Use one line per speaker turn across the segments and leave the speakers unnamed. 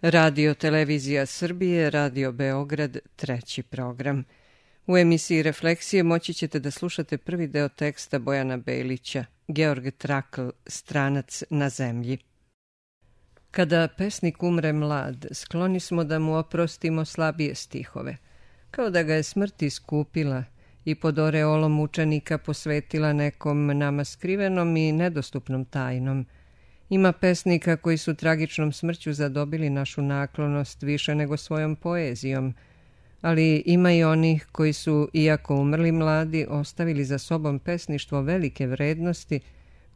Radio Televizija Srbije, Radio Beograd, treći program. U emisiji Refleksije moći ćete da slušate prvi deo teksta Bojana Bejlića, Georg Trakl, Stranac na zemlji. Kada pesnik umre mlad, skloni smo da mu oprostimo slabije stihove, kao da ga je smrt iskupila i pod oreolom mučenika posvetila nekom nama skrivenom i nedostupnom tajnom. Ima pesnika koji su tragičnom smrću zadobili našu naklonost više nego svojom poezijom, ali ima i onih koji su, iako umrli mladi, ostavili za sobom pesništvo velike vrednosti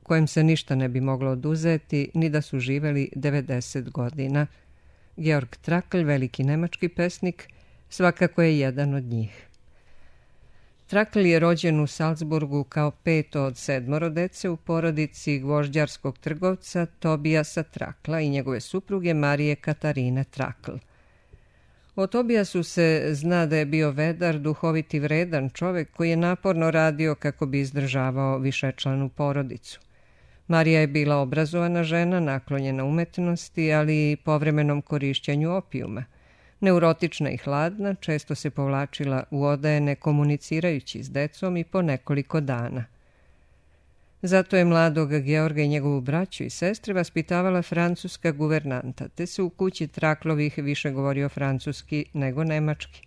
kojem se ništa ne bi moglo oduzeti, ni da su živeli 90 godina. Georg Trakl, veliki nemački pesnik, svakako je jedan od njih. Trakl je rođen u Salzburgu kao peto od 7 dece u porodici gvožđarskog trgovca Tobijasa Trakla i njegove supruge Marije Katarine Trakl. O Tobijasu se zna da je bio vedar, duhovit i vredan čovek koji je naporno radio kako bi izdržavao višečlanu porodicu. Marija je bila obrazovana žena, naklonjena umetnosti, ali i povremenom korišćenju opijuma. Neurotična i hladna, često se povlačila u odaje ne komunicirajući s decom i po nekoliko dana. Zato je mladog Georga i njegovu braću i sestre vaspitavala francuska guvernanta, te se u kući Traklovih više govorio francuski nego nemački.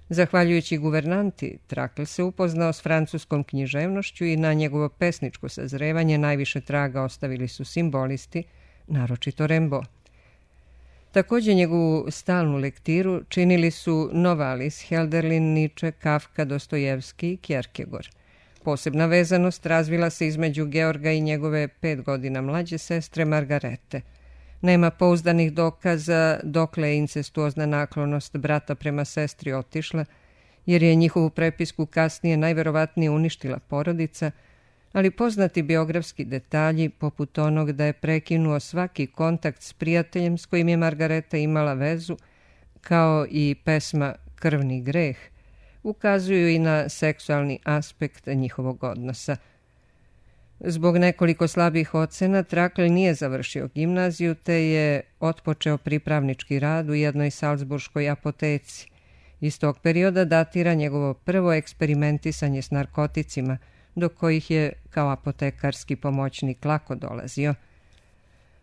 Zahvaljujući guvernanti, Trakl se upoznao s francuskom književnošću i na njegovo pesničko sazrevanje najviše traga ostavili su simbolisti, naročito Rimbaud. Također njegovu stalnu lektiru činili su Novalis, Hölderlin, Nietzsche, Kafka, Dostojevski i Kierkegaard. Posebna vezanost razvila se između Georga i njegove 5 godina mlađe sestre Margarete. Nema pouzdanih dokaza dokle je incestuozna naklonost brata prema sestri otišla, jer je njihovu prepisku kasnije najverovatnije uništila porodica, ali poznati biografski detalji, poput onog da je prekinuo svaki kontakt s prijateljem s kojim je Margareta imala vezu, kao i pesma Krvni greh, ukazuju i na seksualni aspekt njihovog odnosa. Zbog nekoliko slabih ocena Trakl nije završio gimnaziju, te je otpočeo pripravnički rad u jednoj salzburškoj apoteci. Iz tog perioda datira njegovo prvo eksperimentisanje s narkoticima, do kojih je kao apotekarski pomoćnik lako dolazio.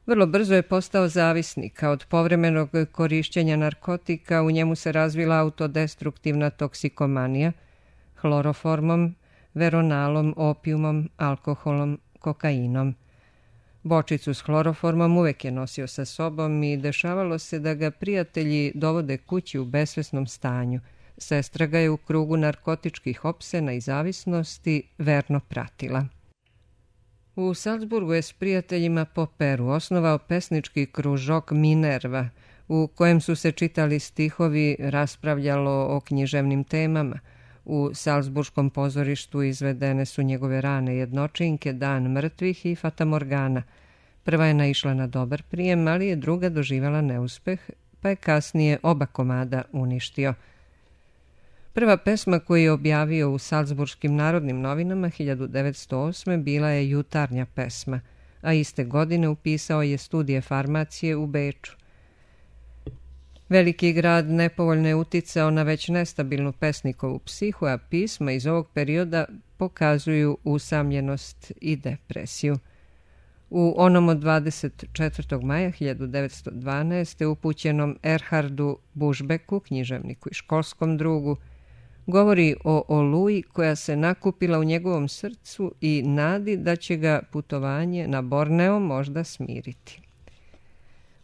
Vrlo brzo je postao zavisnik, a od povremenog korišćenja narkotika u njemu se razvila autodestruktivna toksikomanija, hloroformom, veronalom, opijumom, alkoholom, kokainom. Bočicu s hloroformom uvek je nosio sa sobom i dešavalo se da ga prijatelji dovode kući u besvesnom stanju. Sestra ga je u krugu narkotičkih opsena i zavisnosti verno pratila. U Salzburgu je s prijateljima po Peru osnovao pesnički kružok Minerva, u kojem su se čitali stihovi, raspravljalo o književnim temama. U Salzburškom pozorištu izvedene su njegove rane jednočinke, Dan mrtvih i Fatamorgana. Prva je naišla na dobar prijem, ali je druga doživjela neuspeh, pa je kasnije oba komada uništio. Prva pesma koju je objavio u Salzburškim narodnim novinama 1908. bila je Jutarnja pesma, a iste godine upisao je studije farmacije u Beču. Veliki grad nepovoljno je uticao na već nestabilnu pesnikovu psihu, a pisma iz ovog perioda pokazuju usamljenost i depresiju. U onom od 24. maja 1912. upućenom Erhardu Bušbeku, književniku i školskom drugu, govori o oluji koja se nakupila u njegovom srcu i nadi da će ga putovanje na Borneo možda smiriti.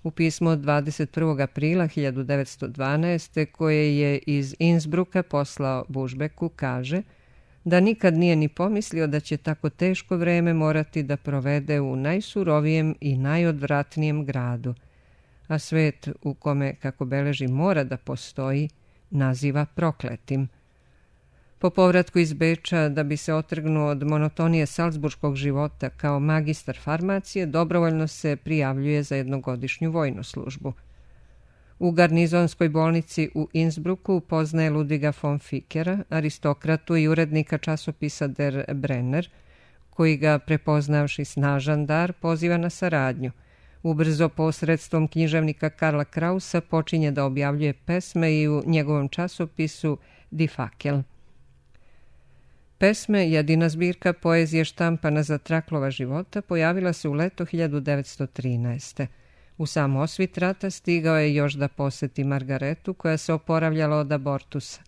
U pismu od 21. aprila 1912. koje je iz Innsbrucka poslao Bušbeku kaže da nikad nije ni pomislio da će tako teško vreme morati da provede u najsurovijem i najodvratnijem gradu, a svet u kome, kako beleži, mora da postoji, naziva prokletim. Po povratku iz Beča, da bi se otrgnuo od monotonije salzburškog života kao magistar farmacije, dobrovoljno se prijavljuje za jednogodišnju vojnu službu. U garnizonskoj bolnici u Innsbrucku poznaje Ludviga von Fickera, aristokratu i urednika časopisa Der Brenner, koji ga, prepoznavši snažan dar, poziva na saradnju. Ubrzo posredstvom književnika Karla Krausa počinje da objavljuje pesme i u njegovom časopisu Die Fackel. Pesme, jedina zbirka poezije štampana za Traklova života, pojavila se u leto 1913. U sam osvit rata stigao je još da poseti Margaretu, koja se oporavljala od abortusa.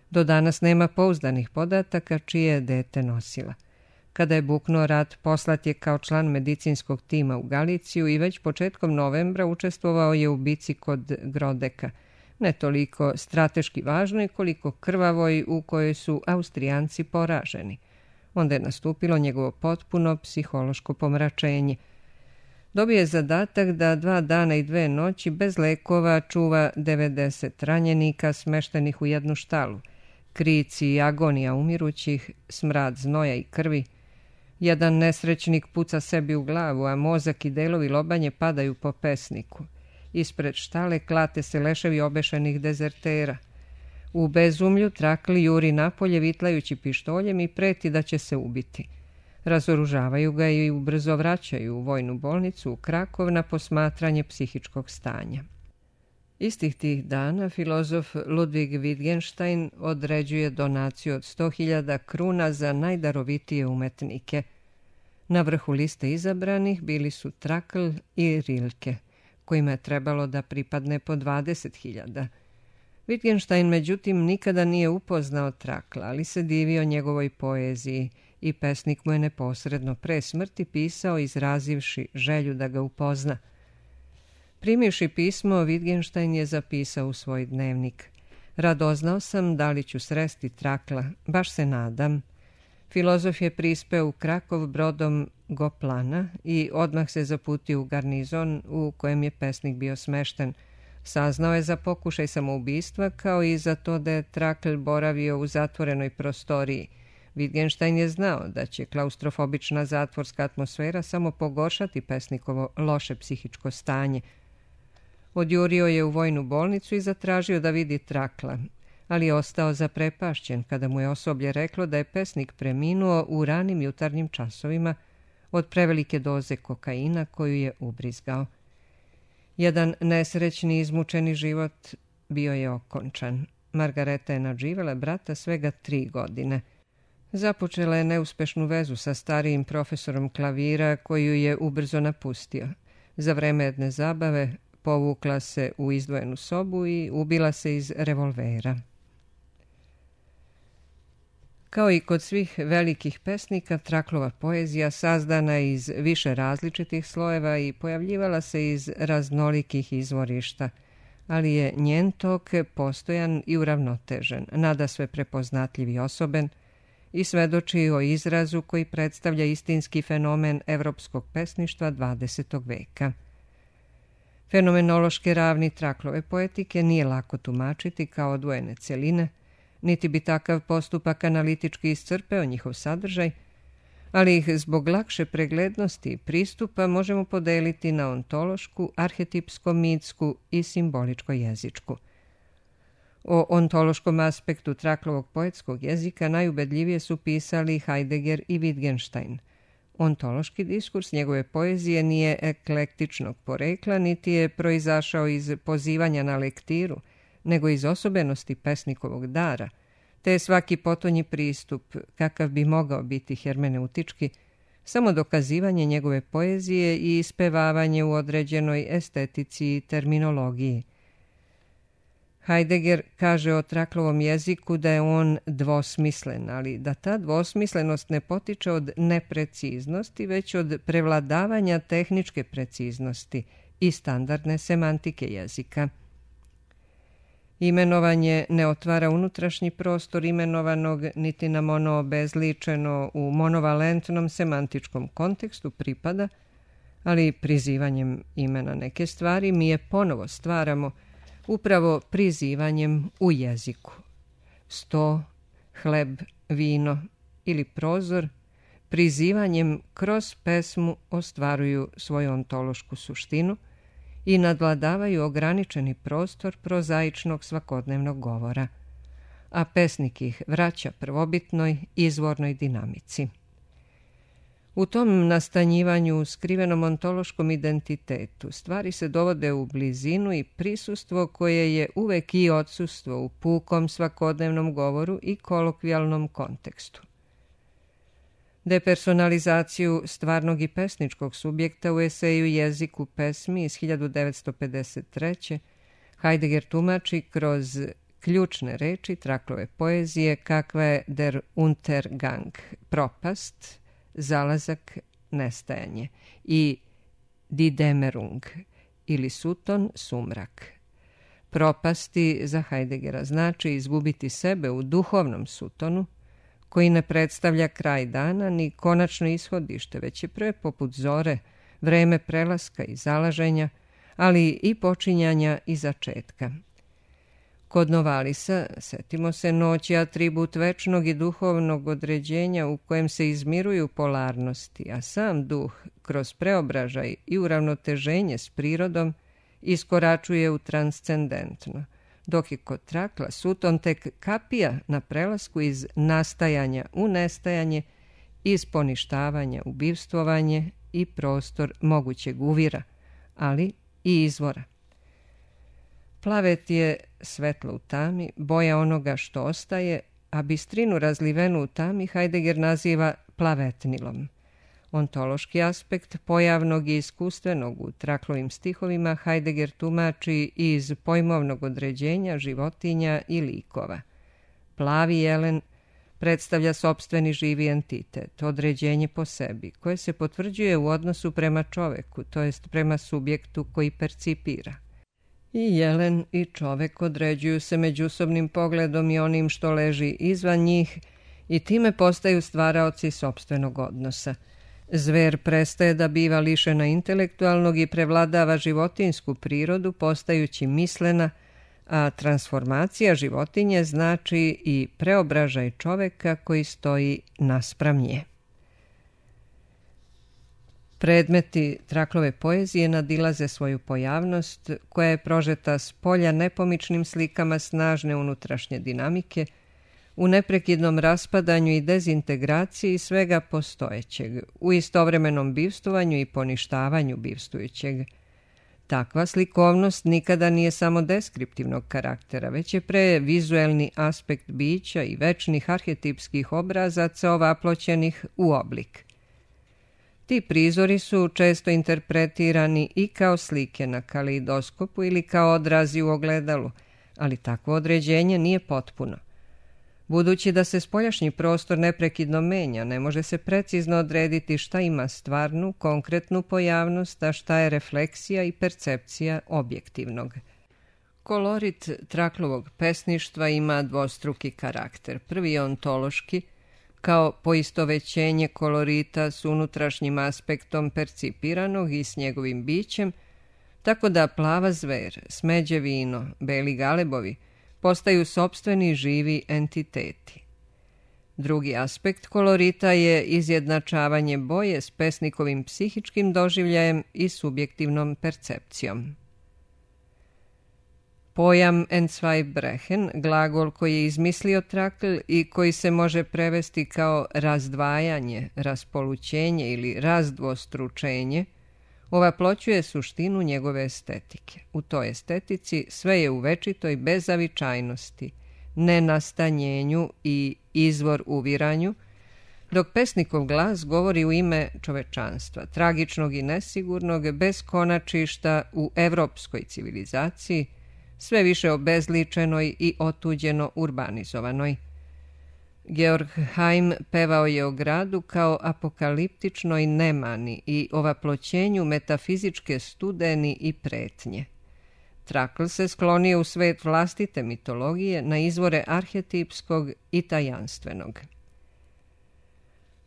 Do danas nema pouzdanih podataka čije je dete nosila. Kada je buknuo rat, poslat je kao član medicinskog tima u Galiciju i već početkom novembra učestvovao je u bici kod Grodeka, ne toliko strateški važnoj koliko krvavoj, u kojoj su Austrijanci poraženi. Onda je nastupilo njegovo potpuno psihološko pomračenje. Dobio je zadatak da 2 dana i 2 noći bez lekova čuva 90 ranjenika smeštenih u jednu štalu. Krici i agonija umirućih, smrad znoja i krvi. Jedan nesrećnik puca sebi u glavu, a mozak i delovi lobanje padaju po pesniku. Ispred štale klate se leševi obešenih dezertera. U bezumlju Trakl juri napolje vitlajući pištoljem i preti da će se ubiti. Razoružavaju ga i ubrzo vraćaju u vojnu bolnicu u Krakov na posmatranje psihičkog stanja. Istih tih dana filozof Ludwig Wittgenstein određuje donaciju od 100.000 kruna za najdarovitije umetnike. Na vrhu liste izabranih bili su Trakl i Rilke, kojima je trebalo da pripadne po 20.000. Wittgenstein, međutim, nikada nije upoznao Trakla, ali se divio njegovoj poeziji i pesnik mu je neposredno pre smrti pisao izrazivši želju da ga upozna. Primivši pismo, Wittgenstein je zapisao u svoj dnevnik: Radoznao sam da li ću sresti Trakla, baš se nadam. Filozof je prispeo u Krakov brodom Goplana i odmah se zaputio u garnizon u kojem je pesnik bio smešten. Saznao je za pokušaj samoubistva kao i za to da je Trakl boravio u zatvorenoj prostoriji. Wittgenstein je znao da će klaustrofobična zatvorska atmosfera samo pogoršati pesnikovo loše psihičko stanje. Odjurio je u vojnu bolnicu i zatražio da vidi Trakla, ali je ostao zaprepašćen kada mu je osoblje reklo da je pesnik preminuo u ranim jutarnjim časovima od prevelike doze kokaina koju je ubrizgao. Jedan nesrećni izmučeni život bio je okončan. Margareta je nadživjela brata svega 3 godine. Započela je neuspešnu vezu sa starijim profesorom klavira koju je ubrzo napustio. Za vreme jedne zabave povukla se u izdvojenu sobu i ubila se iz revolvera. Kao i kod svih velikih pesnika, Traklova poezija sazdana je iz više različitih slojeva i pojavljivala se iz raznolikih izvorišta, ali je njen tok postojan i uravnotežen, nadasve prepoznatljiv i osoben, i svedoči o izrazu koji predstavlja istinski fenomen evropskog pesništva 20. veka. Fenomenološke ravni Traklove poetike nije lako tumačiti kao odvojene celine, niti bi takav postupak analitički iscrpeo njihov sadržaj, ali ih zbog lakše preglednosti i pristupa možemo podeliti na ontološku, arhetipsko-mitsku i simboličko-jezičku. O ontološkom aspektu Traklovog poetskog jezika najubedljivije su pisali Heidegger i Wittgenstein. Ontološki diskurs njegove poezije nije eklektičnog porekla, niti je proizašao iz pozivanja na lektiru, nego iz osobenosti pesnikovog dara, te je svaki potonji pristup, kakav bi mogao biti hermeneutički, samo dokazivanje njegove poezije i ispevavanje u određenoj estetici i terminologiji. Heidegger kaže o Traklovom jeziku da je on dvosmislen, ali da ta dvosmislenost ne potiče od nepreciznosti, već od prevladavanja tehničke preciznosti i standardne semantike jezika. Imenovanje ne otvara unutrašnji prostor imenovanog niti nam ono obezličeno u monovalentnom semantičkom kontekstu pripada, ali prizivanjem imena neke stvari mi je ponovo stvaramo upravo prizivanjem u jeziku. Sto, hleb, vino ili prozor prizivanjem kroz pesmu ostvaruju svoju ontološku suštinu i nadvladavaju ograničeni prostor prozaičnog svakodnevnog govora, a pesnik ih vraća prvobitnoj izvornoj dinamici. U tom nastanjivanju, skrivenom ontološkom identitetu, stvari se dovode u blizinu i prisustvo koje je uvek i odsustvo u pukom svakodnevnom govoru i kolokvijalnom kontekstu. Depersonalizaciju stvarnog i pesničkog subjekta u eseju Jezik u pesmi iz 1953. Heidegger tumači kroz ključne reči Traklove poezije kakva je der Untergang, propast, zalazak, nestajanje, i die Dämmerung ili suton, sumrak. Propasti za Heideggera znači izgubiti sebe u duhovnom sutonu, koji ne predstavlja kraj dana ni konačno ishodište, već je pre poput zore, vreme prelaska i zalaženja, ali i počinjanja i začetka. Kod Novalisa, setimo se, noć je atribut večnog i duhovnog određenja u kojem se izmiruju polarnosti, a sam duh, kroz preobražaj i uravnoteženje s prirodom, iskoračuje u transcendentno, dok je kod Trakla suton tek kapija na prelasku iz nastajanja u nestajanje, iz poništavanja u bivstvovanje i prostor mogućeg uvira, ali i izvora. Plavet je svetlo u tami, boja onoga što ostaje, a bistrinu razlivenu u tami Heidegger naziva plavetnilom. Ontološki aspekt pojavnog i iskustvenog u Traklovim stihovima Heidegger tumači iz pojmovnog određenja životinja i likova. Plavi jelen predstavlja sopstveni živi entitet, određenje po sebi, koje se potvrđuje u odnosu prema čoveku, to jest prema subjektu koji percipira. I jelen i čovek određuju se međusobnim pogledom i onim što leži izvan njih i time postaju stvaraoci sopstvenog odnosa. Zver prestaje da biva lišena intelektualnog i prevladava životinsku prirodu postajući mislena, a transformacija životinje znači i preobražaj čoveka koji stoji naspram nje. Predmeti Traklove poezije nadilaze svoju pojavnost, koja je prožeta s polja nepomičnim slikama snažne unutrašnje dinamike, u neprekidnom raspadanju i dezintegraciji svega postojećeg, u istovremenom bivstvovanju i poništavanju bivstvujućeg. Takva slikovnost nikada nije samo deskriptivnog karaktera, već je pre vizuelni aspekt bića i večnih arhetipskih obrazaca ovaploćenih u oblik. Ti prizori su često interpretirani i kao slike na kaleidoskopu ili kao odrazi u ogledalu, ali takvo određenje nije potpuno. Budući da se spoljašnji prostor neprekidno menja, ne može se precizno odrediti šta ima stvarnu, konkretnu pojavnost, a šta je refleksija i percepcija objektivnog. Kolorit Traklovog pesništva ima dvostruki karakter. Prvi je ontološki, kao poistovećenje kolorita s unutrašnjim aspektom percipiranog i s njegovim bićem, tako da plava zver, smeđe vino, beli galebovi postaju sopstveni živi entiteti. Drugi aspekt kolorita je izjednačavanje boje s pesnikovim psihičkim doživljajem i subjektivnom percepcijom. Pojam Entzweibrechen, glagol koji je izmislio Trakl i koji se može prevesti kao razdvajanje, raspolućenje ili razdvostručenje, ovaploćuje suštinu njegove estetike. U toj estetici sve je u večitoj bezavičajnosti, nenastanjenju i izvor uviranju, dok pesnikov glas govori u ime čovečanstva, tragičnog i nesigurnog, bez konačišta u evropskoj civilizaciji, sve više obezličenoj i otuđeno urbanizovanoj. Georg Heim pevao je o gradu kao apokaliptičnoj nemani i ovaploćenju metafizičke studeni i pretnje. Trakl se sklonio u svet vlastite mitologije na izvore arhetipskog i tajanstvenog.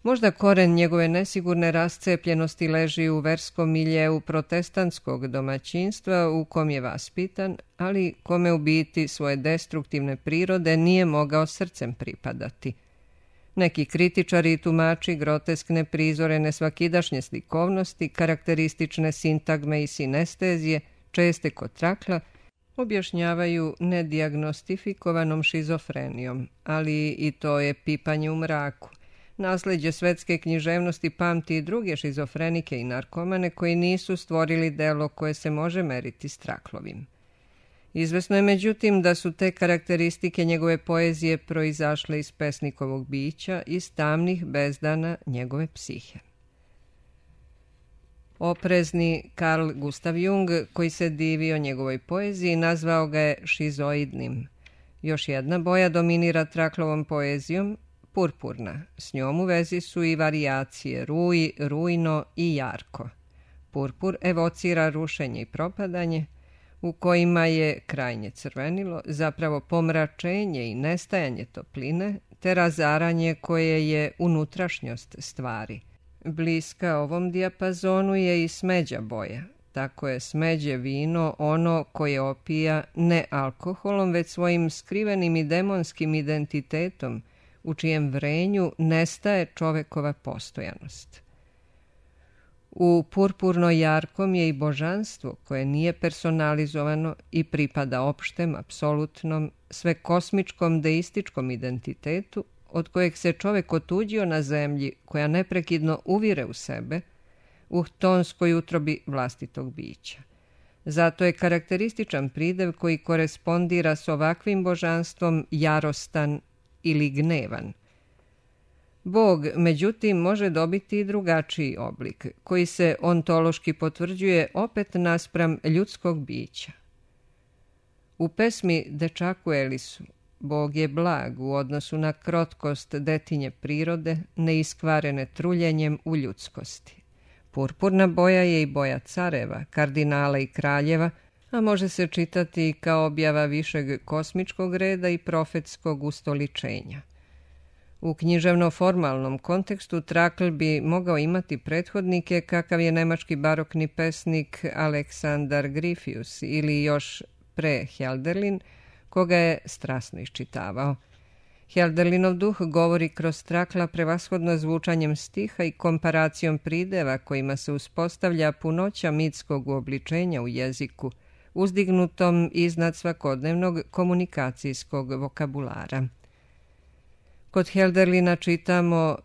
Možda koren njegove nesigurne rascepljenosti leži u verskom miljeu protestantskog domaćinstva u kom je vaspitan, ali kome u biti svoje destruktivne prirode nije mogao srcem pripadati. Neki kritičari i tumači groteskne prizore nesvakidašnje slikovnosti, karakteristične sintagme i sinestezije, česte kod Trakla, objašnjavaju nedijagnostifikovanom šizofrenijom, ali i to je pipanje u mraku. Nasleđe svetske književnosti pamti i druge šizofrenike i narkomane koji nisu stvorili delo koje se može meriti s Traklovim. Izvesno je međutim da su te karakteristike njegove poezije proizašle iz pesnikovog bića, iz tamnih bezdana njegove psihe. Oprezni Carl Gustav Jung, koji se divio njegovoj poeziji, nazvao ga je šizoidnim. Još jedna boja dominira Traklovom poezijom, purpurna. S njom u vezi su i varijacije ruj, rujno i jarko. Purpur evocira rušenje i propadanje, u kojima je krajnje crvenilo, zapravo pomračenje i nestajanje topline, te razaranje koje je unutrašnjost stvari. Bliska ovom dijapazonu je i smeđa boja. Tako je smeđe vino ono koje opija ne alkoholom, već svojim skrivenim i demonskim identitetom, u čijem vrenju nestaje čovekova postojanost. U purpurno jarkom je i božanstvo koje nije personalizovano i pripada opštem, apsolutnom, svekosmičkom deističkom identitetu od kojeg se čovek otuđio na zemlji koja neprekidno uvire u sebe, u tonskoj utrobi vlastitog bića. Zato je karakterističan pridev koji korespondira s ovakvim božanstvom jarostan ili gnevan. Bog, međutim, može dobiti i drugačiji oblik, koji se ontološki potvrđuje opet naspram ljudskog bića. U pesmi Dečaku Elisu Bog je blag u odnosu na krotkost detinje prirode, neiskvarene truljenjem u ljudskosti. Purpurna boja je i boja careva, kardinala i kraljeva, a može se čitati kao objava višeg kosmičkog reda i profetskog ustoličenja. U književno-formalnom kontekstu Trakl bi mogao imati prethodnike kakav je nemački barokni pesnik Aleksandar Gryphius ili još pre Hölderlin, koga je strasno iščitavao. Hölderlinov duh govori kroz Trakla prevashodno zvučanjem stiha i komparacijom prideva kojima se uspostavlja punoća mitskog uobličenja u jeziku, uzdignutom iznad svakodnevnog komunikacijskog vokabulara. Kod Hölderlina čitamo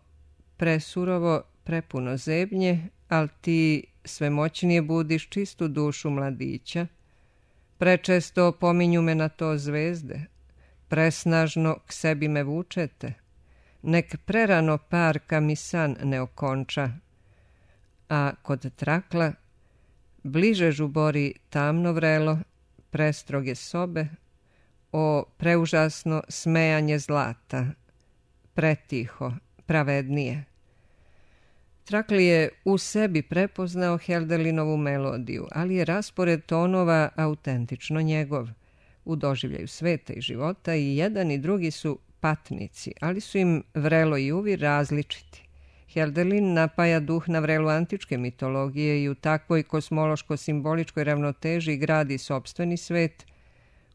presurovo, prepuno zebnje, al ti svemoćnije budiš čistu dušu mladića. Prečesto pominju me na to zvezde, presnažno k sebi me vučete, nek prerano parka mi san ne okonča, a kod Trakla bliže žubori tamno vrelo, prestroge sobe, o preužasno smejanje zlata, pretiho, pravednije. Trakl je u sebi prepoznao Hölderlinovu melodiju, ali je raspored tonova autentično njegov. U doživljaju sveta i života i jedan i drugi su patnici, ali su im vrelo i uvir različiti. Hölderlin napaja duh na vrelu antičke mitologije i u takvoj kosmološko-simboličkoj ravnoteži gradi sopstveni svet,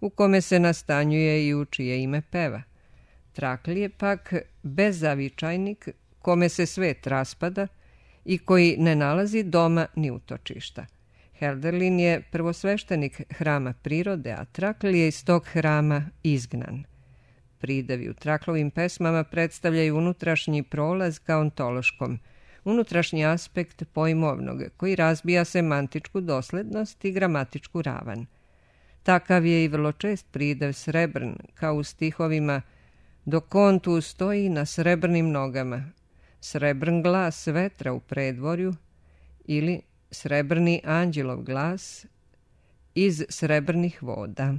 u kome se nastanjuje i u čije ime peva. Trakl je pak bezavičajnik kome se svet raspada i koji ne nalazi doma ni utočišta. Hölderlin je prvosveštenik hrama prirode, a Trakl je iz tog hrama izgnan. Pridevi u Traklovim pesmama predstavljaju unutrašnji prolaz ka ontološkom, unutrašnji aspekt pojmovnog, koji razbija semantičku doslednost i gramatičku ravan. Takav je i vrlo čest pridev srebrn, kao u stihovima dok on tu stoji na srebrnim nogama, srebrn glas vetra u predvorju ili srebrni anđelov glas iz srebrnih voda.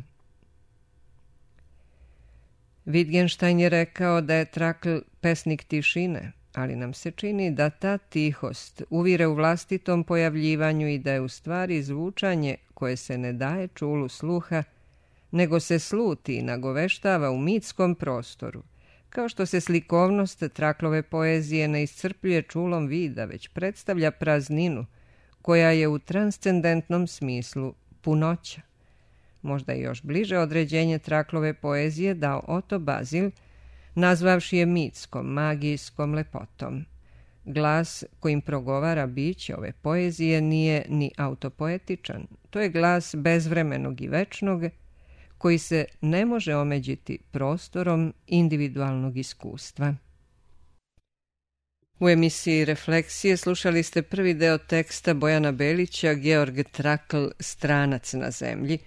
Wittgenstein je rekao da je Trakl pesnik tišine, ali nam se čini da ta tihost uvire u vlastitom pojavljivanju i da je u stvari zvučanje koje se ne daje čulu sluha, nego se sluti i nagoveštava u mitskom prostoru, kao što se slikovnost Traklove poezije ne iscrpljuje čulom vida, već predstavlja prazninu, koja je u transcendentnom smislu punoća. Možda je još bliže određenje Traklove poezije dao Oto Bazil, nazvavši je mitskom, magijskom lepotom. Glas kojim progovara biće ove poezije nije ni autopoetičan, to je glas bezvremenog i večnog, koji se ne može omeđiti prostorom individualnog iskustva. U emisiji Refleksije slušali ste prvi deo teksta Bojana Belića, Georg Trakl, Stranac na zemlji.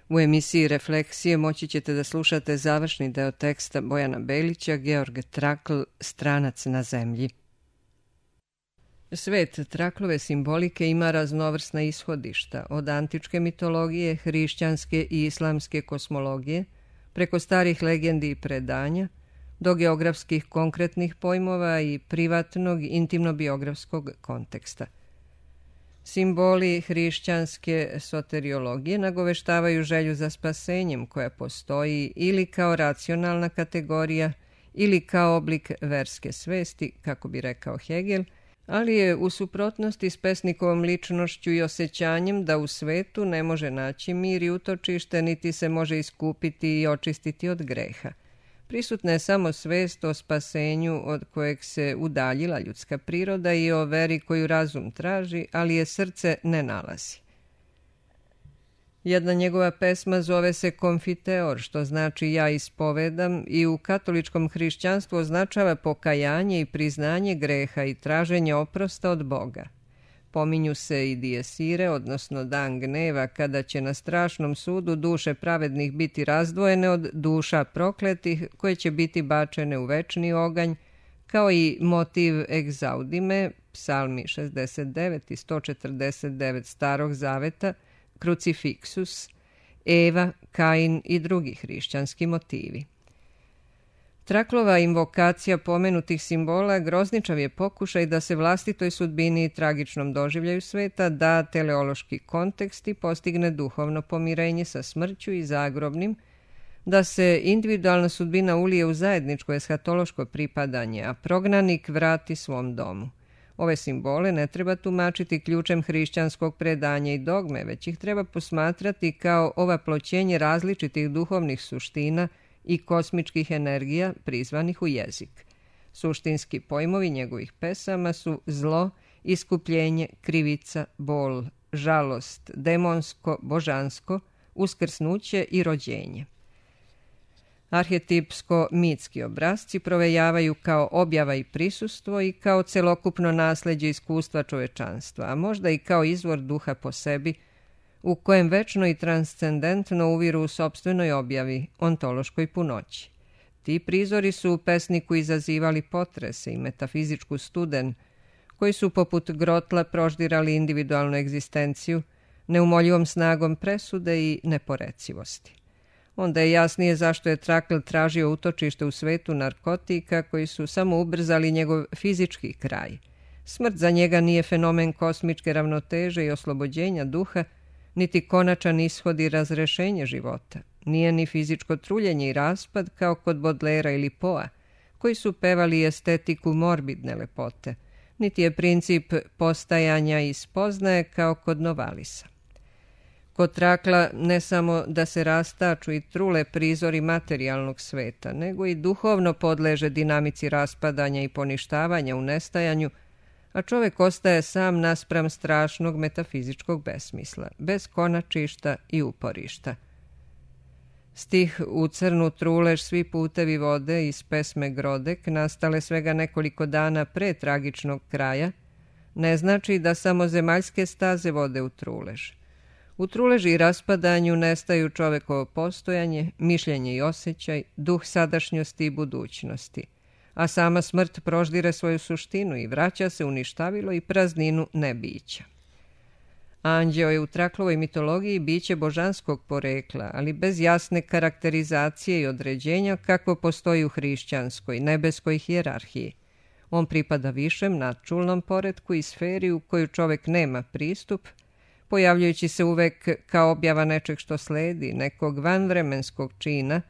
U emisiji Refleksije moći ćete da slušate završni deo teksta Bojana Belića, Georg Trakl, Stranac na zemlji. Svet Traklove simbolike ima raznovrsna ishodišta, od antičke mitologije, hrišćanske i islamske kosmologije, preko starih legendi i predanja, do geografskih konkretnih pojmova i privatnog, intimno-biografskog konteksta. Simboli hrišćanske soteriologije nagoveštavaju želju za spasenjem koja postoji ili kao racionalna kategorija ili kao oblik verske svesti, kako bi rekao Hegel, ali je u suprotnosti s pesnikovom ličnošću i osjećanjem da u svetu ne može naći mir i utočište, niti se može iskupiti i očistiti od greha. Prisutna je samo svest o spasenju od kojeg se udaljila ljudska priroda i o veri koju razum traži, ali je srce ne nalazi. Jedna njegova pesma zove se Konfiteor, što znači ja ispovedam, i u katoličkom hrišćanstvu označava pokajanje i priznanje greha i traženje oprosta od Boga. Pominju se i diesire, odnosno dan gneva, kada će na strašnom sudu duše pravednih biti razdvojene od duša prokletih, koje će biti bačene u večni oganj, kao i motiv egzaudime, psalmi 69 i 149 Starog zaveta, krucifiksus, Eva, Kain i drugi hrišćanski motivi. Traklova invokacija pomenutih simbola grozničav je pokušaj da se vlastitoj sudbini i tragičnom doživljaju sveta da teleološki kontekst i postigne duhovno pomirenje sa smrću i zagrobnim, da se individualna sudbina ulije u zajedničko eshatološko pripadanje, a prognanik vrati svom domu. Ove simbole ne treba tumačiti ključem hrišćanskog predanja i dogme, već ih treba posmatrati kao ovaploćenje različitih duhovnih suština i kosmičkih energija prizvanih u jezik. Suštinski pojmovi njegovih pesama su zlo, iskupljenje, krivica, bol, žalost, demonsko, božansko, uskrsnuće i rođenje. Arhetipsko-mitski obrazci provejavaju kao objava i prisustvo i kao celokupno nasleđe iskustva čovečanstva, a možda i kao izvor duha po sebi, u kojem večno i transcendentno uviru u sopstvenoj objavi, ontološkoj punoći. Ti prizori su u pesniku izazivali potrese i metafizičku studen, koji su poput grotla proždirali individualnu egzistenciju, neumoljivom snagom presude i neporecivosti. Onda je jasnije zašto je Trakl tražio utočište u svetu narkotika koji su samo ubrzali njegov fizički kraj. Smrt za njega nije fenomen kosmičke ravnoteže i oslobođenja duha, niti konačan ishod i razrešenje života. Nije ni fizičko truljenje i raspad kao kod Bodlera ili Poa, koji su pevali estetiku morbidne lepote, niti je princip postajanja i spoznaje kao kod Novalisa. Kod Trakla ne samo da se rastaču i trule prizori materijalnog sveta, nego i duhovno podleže dinamici raspadanja i poništavanja u nestajanju, a čovek ostaje sam naspram strašnog metafizičkog besmisla, bez konačišta i uporišta. Stih U crnu trulež svi putevi vode iz pesme Grodek, nastale svega nekoliko dana pre tragičnog kraja, ne znači da samo zemaljske staze vode u trulež. U truleži i raspadanju nestaju čovekovo postojanje, mišljenje i osjećaj, duh sadašnjosti i budućnosti, a sama smrt proždire svoju suštinu i vraća se u ništavilo i prazninu nebića. Anđeo je u Traklovoj mitologiji biće božanskog porekla, ali bez jasne karakterizacije i određenja kakvo postoji u hrišćanskoj, nebeskoj hijerarhiji. On pripada višem, nadčulnom poretku i sferi u koju čovek nema pristup, pojavljujući se uvek kao objava nečeg što sledi, nekog vanvremenskog čina,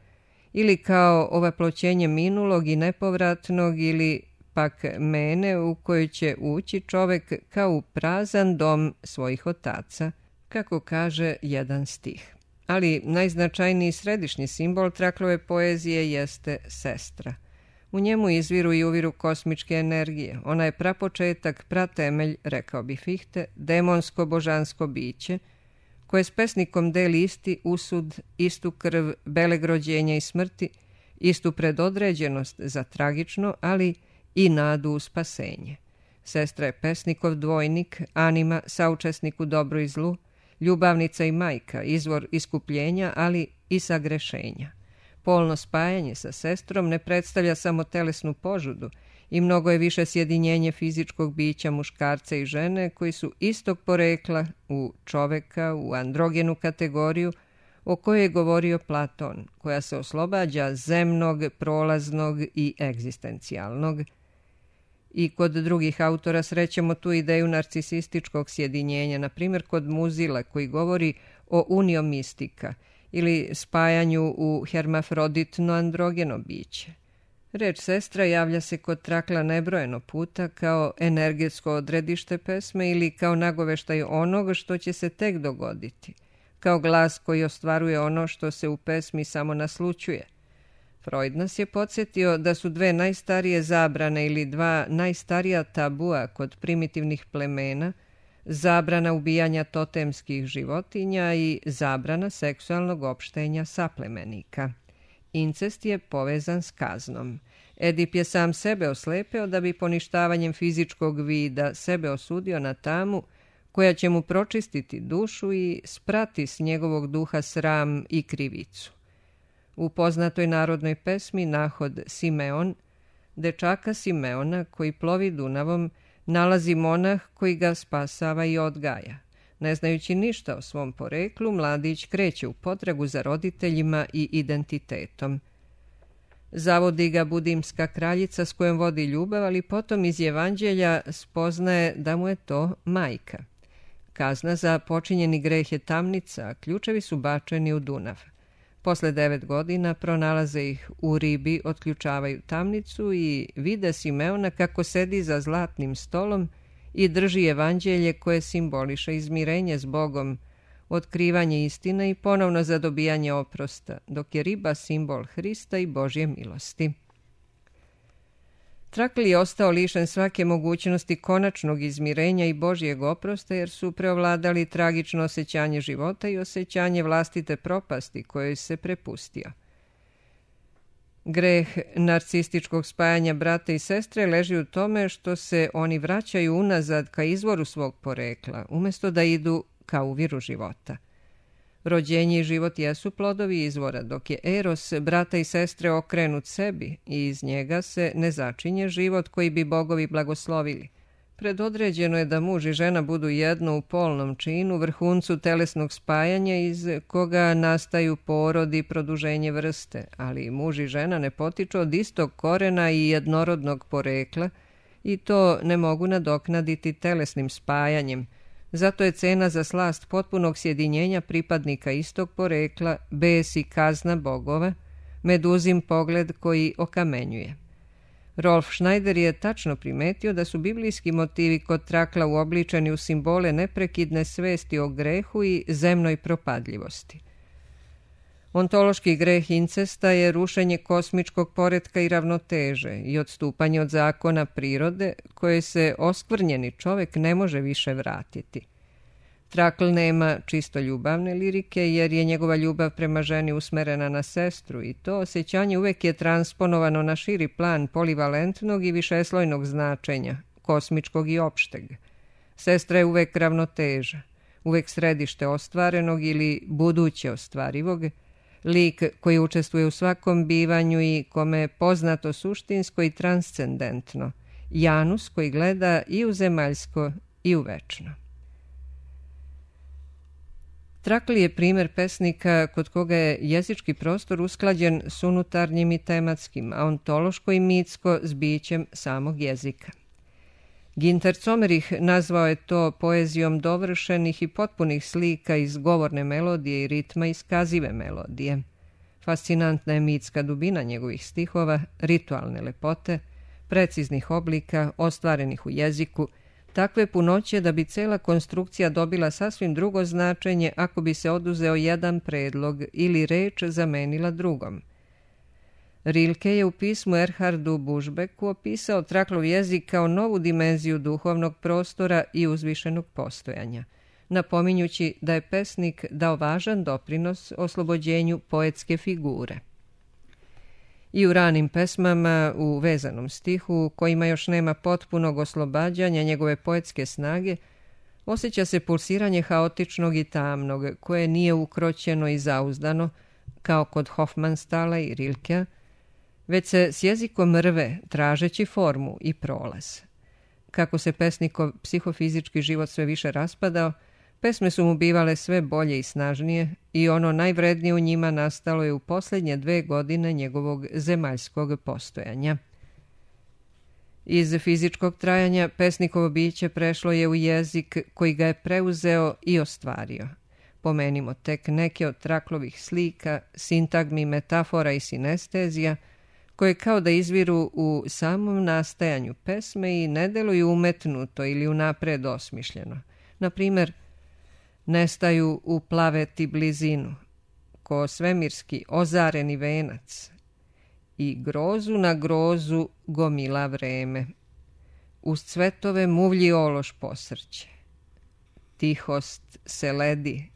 ili kao ovaploćenje minulog i nepovratnog, ili pak mene u koju će ući čovek kao u prazan dom svojih otaca, kako kaže jedan stih. Ali najznačajniji središnji simbol Traklove poezije jeste sestra. U njemu izviru i uviru kosmičke energije. Ona je prapočetak, pratemelj, rekao bi Fichte, demonsko-božansko biće, koje s pesnikom deli isti usud, istu krv, beleg rođenja i smrti, istu predodređenost za tragično, ali i nadu u spasenje. Sestra je pesnikov dvojnik, anima, saučesnik u dobru i zlu, ljubavnica i majka, izvor iskupljenja, ali i sagrešenja. Polno spajanje sa sestrom ne predstavlja samo telesnu požudu i mnogo je više sjedinjenje fizičkog bića muškarca i žene koji su istog porekla u čoveka, u androgenu kategoriju o kojoj je govorio Platon, koja se oslobađa zemnog, prolaznog i egzistencijalnog. I kod drugih autora srećemo tu ideju narcisističkog sjedinjenja, na primjer kod Muzila koji govori o unio mistika ili spajanju u hermafroditno androgeno biće. Reč sestra javlja se kod Trakla nebrojeno puta kao energetsko odredište pesme ili kao nagoveštaj onog što će se tek dogoditi, kao glas koji ostvaruje ono što se u pesmi samo naslućuje. Freud nas je podsjetio da su dve najstarije zabrane ili dva najstarija tabua kod primitivnih plemena zabrana ubijanja totemskih životinja i zabrana seksualnog opštenja saplemenika. Incest je povezan s kaznom. Edip je sam sebe oslepeo da bi poništavanjem fizičkog vida sebe osudio na tamu koja će mu pročistiti dušu i sprati s njegovog duha sram i krivicu. U poznatoj narodnoj pesmi Nahod Simeon, dečaka Simeona koji plovi Dunavom, nalazi monah koji ga spasava i odgaja. Ne znajući ništa o svom poreklu, mladić kreće u potragu za roditeljima i identitetom. Zavodi ga budimska kraljica s kojom vodi ljubav, ali potom iz evanđelja spoznaje da mu je to majka. Kazna za počinjeni greh je tamnica, a ključevi su bačeni u Dunav. Posle 9 godina pronalaze ih u ribi, otključavaju tamnicu i vide Simeona kako sedi za zlatnim stolom i drži evanđelje koje simboliše izmirenje s Bogom, otkrivanje istine i ponovno zadobijanje oprosta, dok je riba simbol Hrista i Božje milosti. Trakl je ostao lišen svake mogućnosti konačnog izmirenja i Božjeg oprosta jer su preovladali tragično osjećanje života i osjećanje vlastite propasti kojoj se prepustio. Greh narcističkog spajanja brata i sestre leži u tome što se oni vraćaju unazad ka izvoru svog porekla, umjesto da idu ka uviru života. Rođenje i život jesu plodovi izvora, dok je eros brata i sestre okrenut sebi i iz njega se ne začinje život koji bi bogovi blagoslovili. Predodređeno je da muž i žena budu jedno u polnom činu, vrhuncu telesnog spajanja iz koga nastaju porod i produženje vrste, ali muž i žena ne potiču od istog korena i jednorodnog porekla i to ne mogu nadoknaditi telesnim spajanjem. Zato je cena za slast potpunog sjedinjenja pripadnika istog porekla, bes i kazna bogova, meduzin pogled koji okamenjuje. Rolf Schneider je tačno primetio da su biblijski motivi kod Trakla uobličeni u simbole neprekidne svesti o grehu i zemnoj propadljivosti. Ontološki greh incesta je rušenje kosmičkog poretka i ravnoteže i odstupanje od zakona prirode koje se oskvrnjeni čovek ne može više vratiti. Trakl nema čisto ljubavne lirike jer je njegova ljubav prema ženi usmerena na sestru i to osjećanje uvek je transponovano na širi plan polivalentnog i višeslojnog značenja, kosmičkog i opšteg. Sestra je uvek ravnoteža, uvek središte ostvarenog ili buduće ostvarivog, lik koji učestvuje u svakom bivanju i kome je poznato suštinsko i transcendentno, Janus koji gleda i u zemaljsko i u večno. Trakl je primer pesnika kod koga je jezički prostor usklađen s unutarnjim i tematskim, a ontološko i mitsko s bićem samog jezika. Ginter Comerih nazvao je to poezijom dovršenih i potpunih slika iz govorne melodije i ritma iskazive melodije. Fascinantna je mitska dubina njegovih stihova, ritualne lepote, preciznih oblika, ostvarenih u jeziku, takve punoće da bi cela konstrukcija dobila sasvim drugo značenje ako bi se oduzeo jedan predlog ili reč zamenila drugom. Rilke je u pismu Erhardu Bušbeku opisao Traklov jezik kao novu dimenziju duhovnog prostora i uzvišenog postojanja, napominjući da je pesnik dao važan doprinos oslobođenju poetske figure. I u ranim pesmama, u vezanom stihu, kojima još nema potpunog oslobađanja njegove poetske snage, osjeća se pulsiranje haotičnog i tamnog, koje nije ukroćeno i zauzdano, kao kod Hofmanstala i Rilkea, već se s jezikom rve, tražeći formu i prolaz. Kako se pesnikov psihofizički život sve više raspadao, pesme su mu bivale sve bolje i snažnije i ono najvrednije u njima nastalo je u posljednje 2 godine njegovog zemaljskog postojanja. Iz fizičkog trajanja pesnikovo biće prešlo je u jezik koji ga je preuzeo i ostvario. Pomenimo tek neke od Traklovih slika, sintagmi, metafora i sinestezija, koje kao da izviru u samom nastajanju pesme i ne deluju umetnuto ili unapred osmišljeno. Na primjer, nestaju u plaveti blizinu, ko svemirski ozareni venac, i grozu na grozu gomila vreme, uz cvetove muvlji ološ posrće. Tihost se ledi,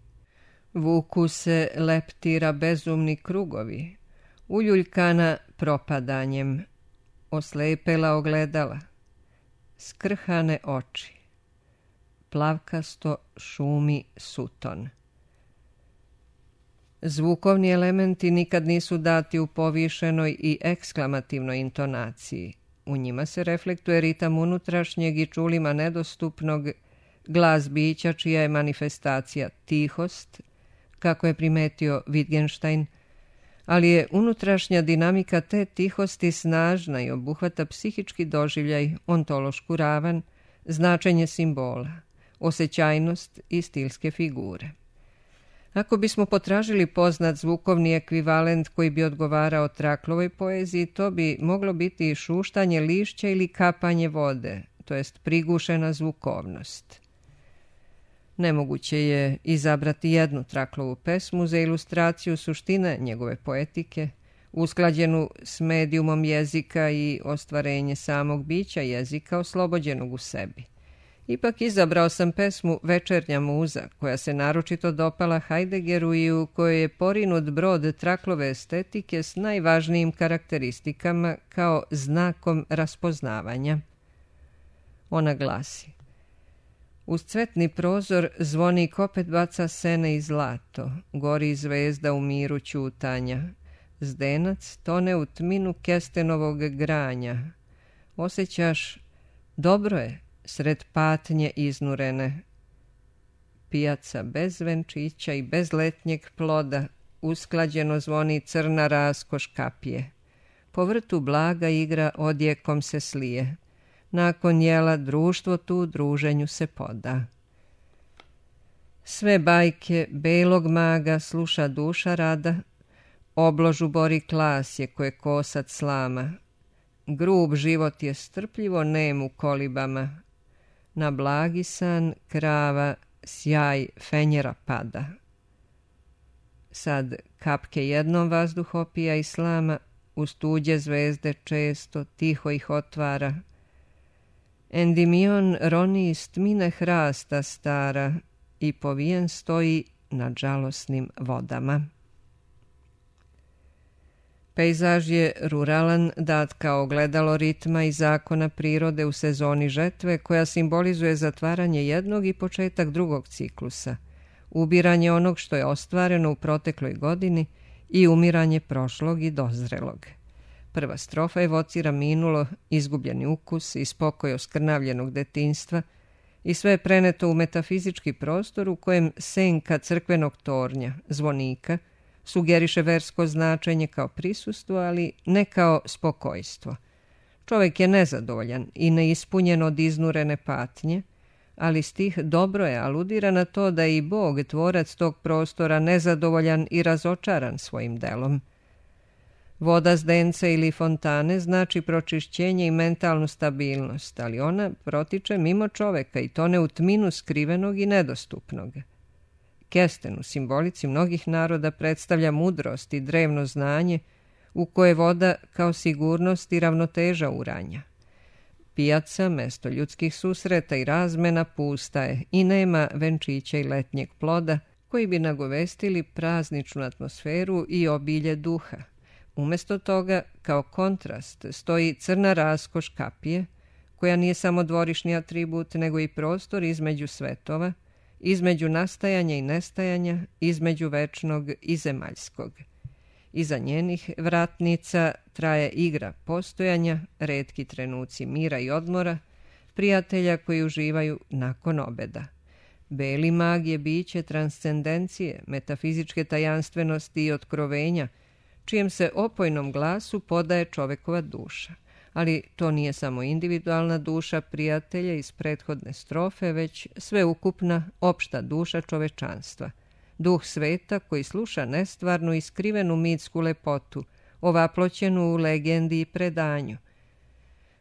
vuku se leptira bezumni krugovi, uljuljkana propadanjem, oslepela ogledala, skrhane oči, plavkasto šumi suton. Zvukovni elementi nikad nisu dati u povišenoj i eksklamativnoj intonaciji. U njima se reflektuje ritam unutrašnjeg i čulima nedostupnog, glas bića čija je manifestacija tihost, kako je primetio Wittgenstein, ali je unutrašnja dinamika te tihosti snažna i obuhvata psihički doživljaj, ontološku ravan, značenje simbola, osjećajnost i stilske figure. Ako bismo potražili poznat zvukovni ekvivalent koji bi odgovarao Traklovoj poeziji, to bi moglo biti šuštanje lišća ili kapanje vode, to jest prigušena zvukovnost. Nemoguće je izabrati jednu Traklovu pesmu za ilustraciju suštine njegove poetike, usklađenu s medijumom jezika i ostvarenje samog bića jezika oslobođenog u sebi. Ipak izabrao sam pesmu Večernja muza, koja se naročito dopala Heideggeru i u kojoj je porinut brod Traklove estetike s najvažnijim karakteristikama kao znakom raspoznavanja. Ona glasi: uz cvetni prozor zvonik opet baca sene i zlato, gori zvezda u miru ćutanja, zdenac tone u tminu kestenovog granja. Osjećaš, dobro je, sred patnje iznurene. Pijaca bez venčića i bez letnjeg ploda, usklađeno zvoni crna raskoš kapije. Po vrtu blaga igra odjekom se slije. Nakon jela društvo tu druženju se poda. Sve bajke belog maga sluša duša rada, obložu bori klasje koje kosac slama. Grub život je strpljivo nem u kolibama, na blagi san krava sjaj fenjera pada. Sad kapke jednom vazduh opija i slama, uz tuđe zvezde često tiho ih otvara. Endimion roni iz tmine hrasta stara i povijen stoji nad žalosnim vodama. Pejzaž je ruralan, dat kao ogledalo ritma i zakona prirode u sezoni žetve, koja simbolizuje zatvaranje jednog i početak drugog ciklusa, ubiranje onog što je ostvareno u protekloj godini i umiranje prošlog i dozrelog. Prva strofa evocira minulo, izgubljeni ukus i spokoj oskrnavljenog detinjstva i sve je preneto u metafizički prostor u kojem senka crkvenog tornja, zvonika, sugeriše versko značenje kao prisustvo, ali ne kao spokojstvo. Čovjek je nezadovoljan i neispunjen od iznurene patnje, ali stih dobro je aludira na to da je i Bog, tvorac tog prostora, nezadovoljan i razočaran svojim delom. Voda zdenca ili fontane znači pročišćenje i mentalnu stabilnost, ali ona protiče mimo čoveka i tone u tminu skrivenog i nedostupnog. Kesten u simbolici mnogih naroda predstavlja mudrost i drevno znanje u koje voda kao sigurnost i ravnoteža uranja. Pijaca, mesto ljudskih susreta i razmena, pusta je i nema venčića i letnjeg ploda koji bi nagovestili prazničnu atmosferu i obilje duha. Umjesto toga, kao kontrast, stoji crna raskoš kapije, koja nije samo dvorišni atribut, nego i prostor između svetova, između nastajanja i nestajanja, između večnog i zemaljskog. Iza njenih vratnica traje igra postojanja, retki trenuci mira i odmora, prijatelja koji uživaju nakon obeda. Beli mag je biće transcendencije, metafizičke tajanstvenosti i otkrovenja, čijem se opojnom glasu podaje čovekova duša. Ali to nije samo individualna duša prijatelja iz prethodne strofe, već sveukupna, opšta duša čovečanstva. Duh sveta koji sluša nestvarnu i skrivenu mitsku lepotu, ovaploćenu u legendi i predanju.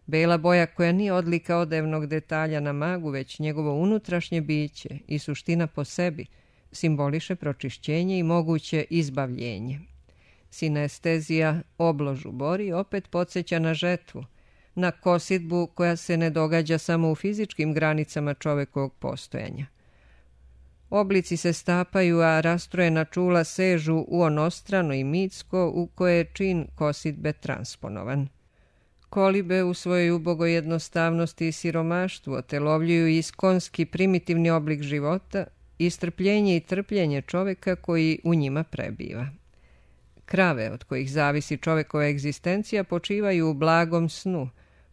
Bela boja koja nije odlika odevnog detalja na magu, već njegovo unutrašnje biće i suština po sebi, simboliše pročišćenje i moguće izbavljenje. Sinestezija obložu bori opet podsjeća na žetvu, na kositbu koja se ne događa samo u fizičkim granicama čovekovog postojanja. Oblici se stapaju, a rastrojena čula sežu u onostrano i mitsko u koje je čin kositbe transponovan. Kolibe u svojoj ubogoj jednostavnosti i siromaštvu otelovljuju iskonski primitivni oblik života, istrpljenje i trpljenje čoveka koji u njima prebiva. Krave od kojih zavisi čovekova egzistencija počivaju u blagom snu,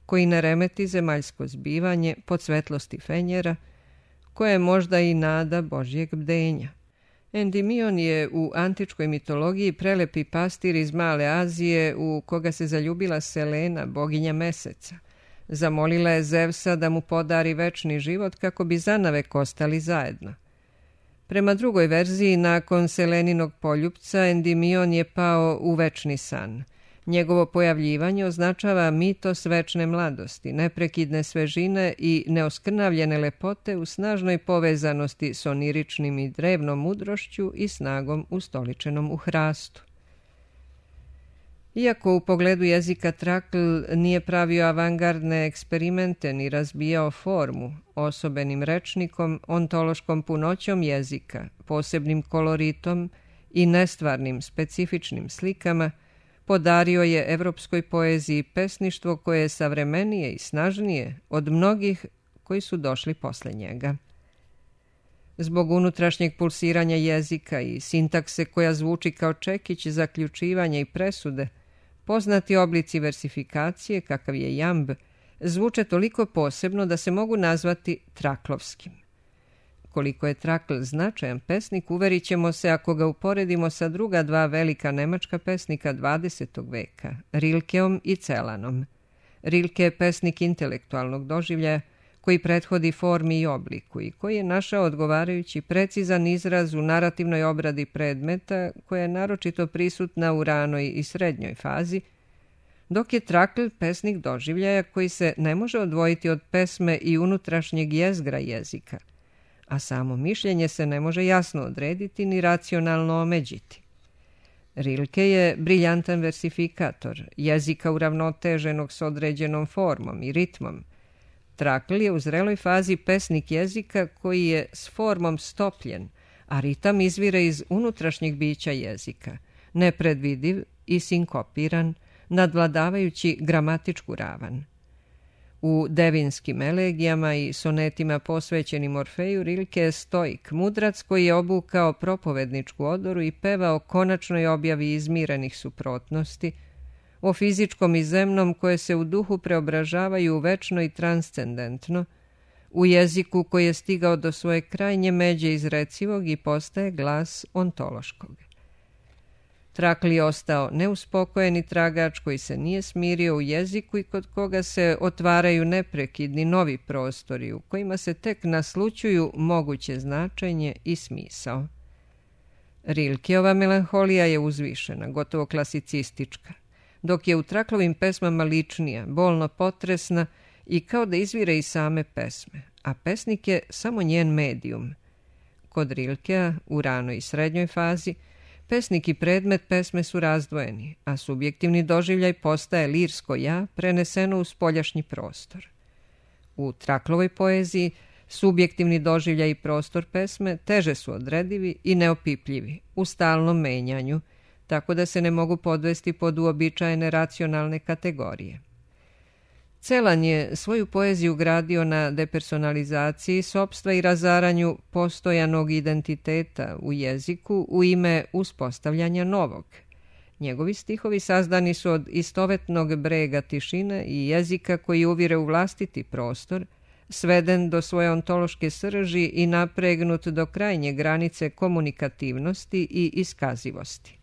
koji ne remeti zemaljsko zbivanje pod svetlosti fenjera, koje je možda i nada Božjeg bdenja. Endimion je u antičkoj mitologiji prelepi pastir iz Male Azije u koga se zaljubila Selena, boginja meseca. Zamolila je Zevsa da mu podari večni život kako bi zanavek ostali zajedno. Prema drugoj verziji, nakon Seleninog poljupca, Endimion je pao u večni san. Njegovo pojavljivanje označava mitos večne mladosti, neprekidne svežine i neoskrnavljene lepote u snažnoj povezanosti s oniričnim i drevnom mudrošću i snagom ustoličenom u hrastu. Iako u pogledu jezika Trakl nije pravio avangardne eksperimente ni razbijao formu, osobenim rečnikom, ontološkom punoćom jezika, posebnim koloritom i nestvarnim specifičnim slikama, podario je evropskoj poeziji pesništvo koje je savremenije i snažnije od mnogih koji su došli posle njega. Zbog unutrašnjeg pulsiranja jezika i sintakse koja zvuči kao čekić zaključivanja i presude, poznati oblici versifikacije, kakav je jamb, zvuče toliko posebno da se mogu nazvati traklovskim. Koliko je Trakl značajan pesnik, uverit ćemo se ako ga uporedimo sa druga dva velika nemačka pesnika 20. veka, Rilkeom i Celanom. Rilke je pesnik intelektualnog doživljaja koji prethodi formi i obliku i koji je našao odgovarajući precizan izraz u narativnoj obradi predmeta koja je naročito prisutna u ranoj i srednjoj fazi, dok je Trakl pesnik doživljaja koji se ne može odvojiti od pesme i unutrašnjeg jezgra jezika, a samo mišljenje se ne može jasno odrediti ni racionalno omeđiti. Rilke je briljantan versifikator, jezika uravnoteženog s određenom formom i ritmom. Trakl je u zreloj fazi pesnik jezika koji je s formom stopljen, a ritam izvire iz unutrašnjeg bića jezika, nepredvidiv i sinkopiran, nadvladavajući gramatičku ravan. U devinskim elegijama i sonetima posvećenim Orfeju Rilke je stoik, mudrac koji je obukao propovedničku odoru i pevao konačnoj objavi izmirenih suprotnosti, o fizičkom i zemnom koje se u duhu preobražavaju u večno i transcendentno, u jeziku koji je stigao do svoje krajnje međe izrecivog i postaje glas ontološkog. Trakl je ostao neuspokojen i tragač koji se nije smirio u jeziku i kod koga se otvaraju neprekidni novi prostori u kojima se tek naslućuju moguće značenje i smisao. Rilkeova melanholija je uzvišena, gotovo klasicistička, dok je u Traklovim pesmama ličnija, bolno potresna i kao da izvire iz same pesme, a pesnik je samo njen medijum. Kod Rilkea, u ranoj i srednjoj fazi, pesnik i predmet pesme su razdvojeni, a subjektivni doživljaj postaje lirsko ja preneseno u spoljašnji prostor. U Traklovoj poeziji subjektivni doživljaj i prostor pesme teže su odredivi i neopipljivi, u stalnom menjanju, tako da se ne mogu podvesti pod uobičajene racionalne kategorije. Celan je svoju poeziju gradio na depersonalizaciji sopstva i razaranju postojanog identiteta u jeziku u ime uspostavljanja novog. Njegovi stihovi sazdani su od istovetnog brega tišine i jezika koji uvire u vlastiti prostor, sveden do svoje ontološke srži i napregnut do krajnje granice komunikativnosti i iskazivosti.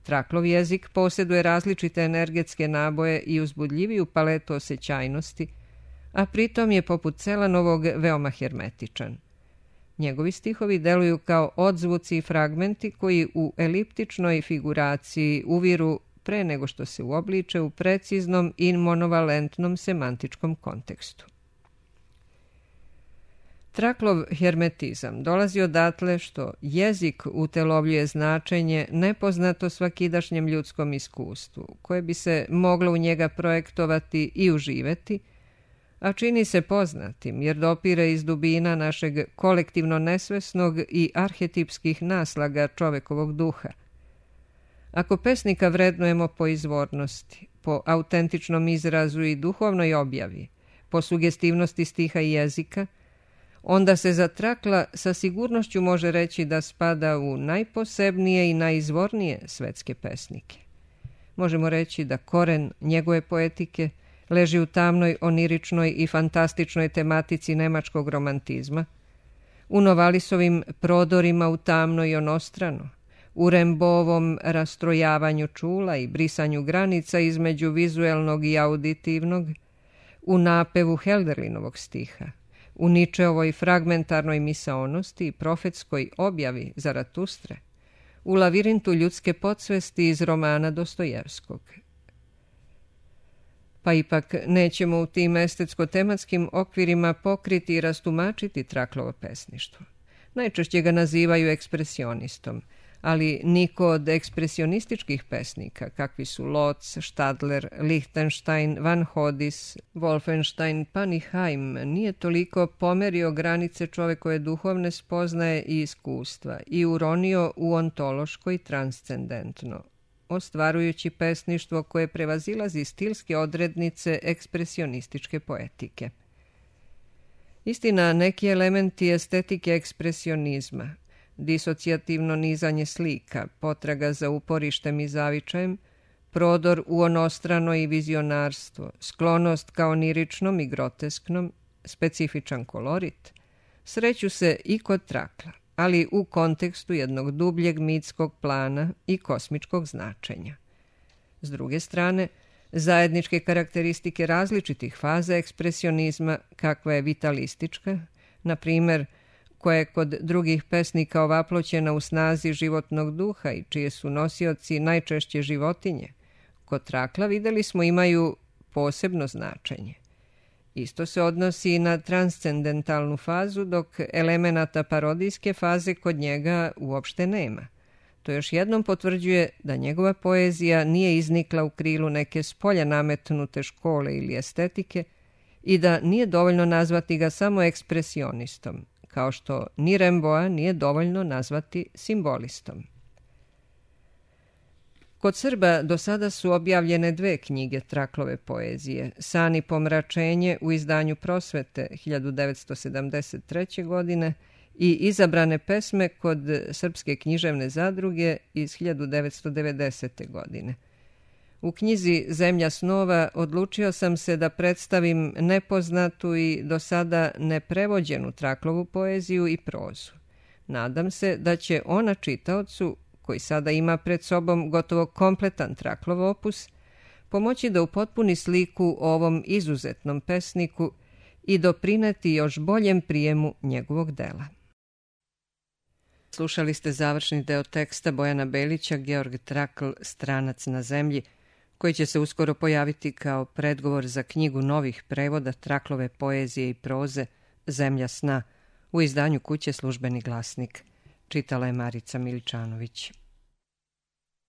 Traklov jezik posjeduje različite energetske naboje i uzbudljiviju paletu osjećajnosti, a pritom je poput Celanovog veoma hermetičan. Njegovi stihovi deluju kao odzvuci i fragmenti koji u eliptičnoj figuraciji uviru pre nego što se uobliče u preciznom i monovalentnom semantičkom kontekstu. Traklov hermetizam dolazi odatle što jezik utelovljuje značenje nepoznato svakidašnjem ljudskom iskustvu, koje bi se moglo u njega projektovati i uživeti, a čini se poznatim jer dopire iz dubina našeg kolektivno nesvesnog i arhetipskih naslaga čovekovog duha. Ako pesnika vrednujemo po izvornosti, po autentičnom izrazu i duhovnoj objavi, po sugestivnosti stiha i jezika, onda se za Trakla sa sigurnošću može reći da spada u najposebnije i najizvornije svetske pesnike. Možemo reći da koren njegove poetike leži u tamnoj, oniričnoj i fantastičnoj tematici nemačkog romantizma, u Novalisovim prodorima u tamno i onostrano, u Rembovom rastrojavanju čula i brisanju granica između vizuelnog i auditivnog, u napevu Helderlinovog stiha, u Ničeovoj fragmentarnoj misaonosti i profetskoj objavi Zaratustre, u lavirintu ljudske podsvesti iz romana Dostojevskog. Pa ipak nećemo u tim estetsko-tematskim okvirima pokriti i rastumačiti Traklovo pesništvo. Najčešće ga nazivaju ekspresionistom, ali niko od ekspresionističkih pesnika, kakvi su Lotz, Stadler, Lichtenstein, Van Hodis, Wolfenstein, Paniheim, nije toliko pomerio granice čovekove duhovne spoznaje i iskustva i uronio u ontološko i transcendentno, ostvarujući pesništvo koje prevazilazi stilske odrednice ekspresionističke poetike. Istina, neki elementi estetike ekspresionizma, disocijativno nizanje slika, potraga za uporištem i zavičajem, prodor u onostrano i vizionarstvo, sklonost ka oniričnom i grotesknom, specifičan kolorit, sreću se i kod Trakla, ali u kontekstu jednog dubljeg mitskog plana i kosmičkog značenja. S druge strane, zajedničke karakteristike različitih faza ekspresionizma, kakva je vitalistička, na primjer, koja je kod drugih pesnika ovaploćena u snazi životnog duha i čije su nosioci najčešće životinje, kod Trakla videli smo imaju posebno značenje. Isto se odnosi i na transcendentalnu fazu, dok elemenata parodijske faze kod njega uopšte nema. To još jednom potvrđuje da njegova poezija nije iznikla u krilu neke spolja nametnute škole ili estetike i da nije dovoljno nazvati ga samo ekspresionistom, kao što ni Remboa nije dovoljno nazvati simbolistom. Kod Srba do sada su objavljene 2 knjige Traklove poezije, San i pomračenje u izdanju Prosvete 1973. godine i Izabrane pesme kod Srpske književne zadruge iz 1990. godine. U knjizi Zemlja snova odlučio sam se da predstavim nepoznatu i do sada neprevođenu Traklovu poeziju i prozu. Nadam se da će ona čitaocu, koji sada ima pred sobom gotovo kompletan Traklov opus, pomoći da upotpuni sliku o ovom izuzetnom pesniku i doprineti još boljem prijemu njegovog dela. Slušali ste završni deo teksta Bojana Belića, Georg Trakl, Stranac na zemlji, koji će se uskoro pojaviti kao predgovor za knjigu novih prevoda Traklove poezije i proze Zemlja sna u izdanju kuće Službeni glasnik. Čitala je Marica Miličanović.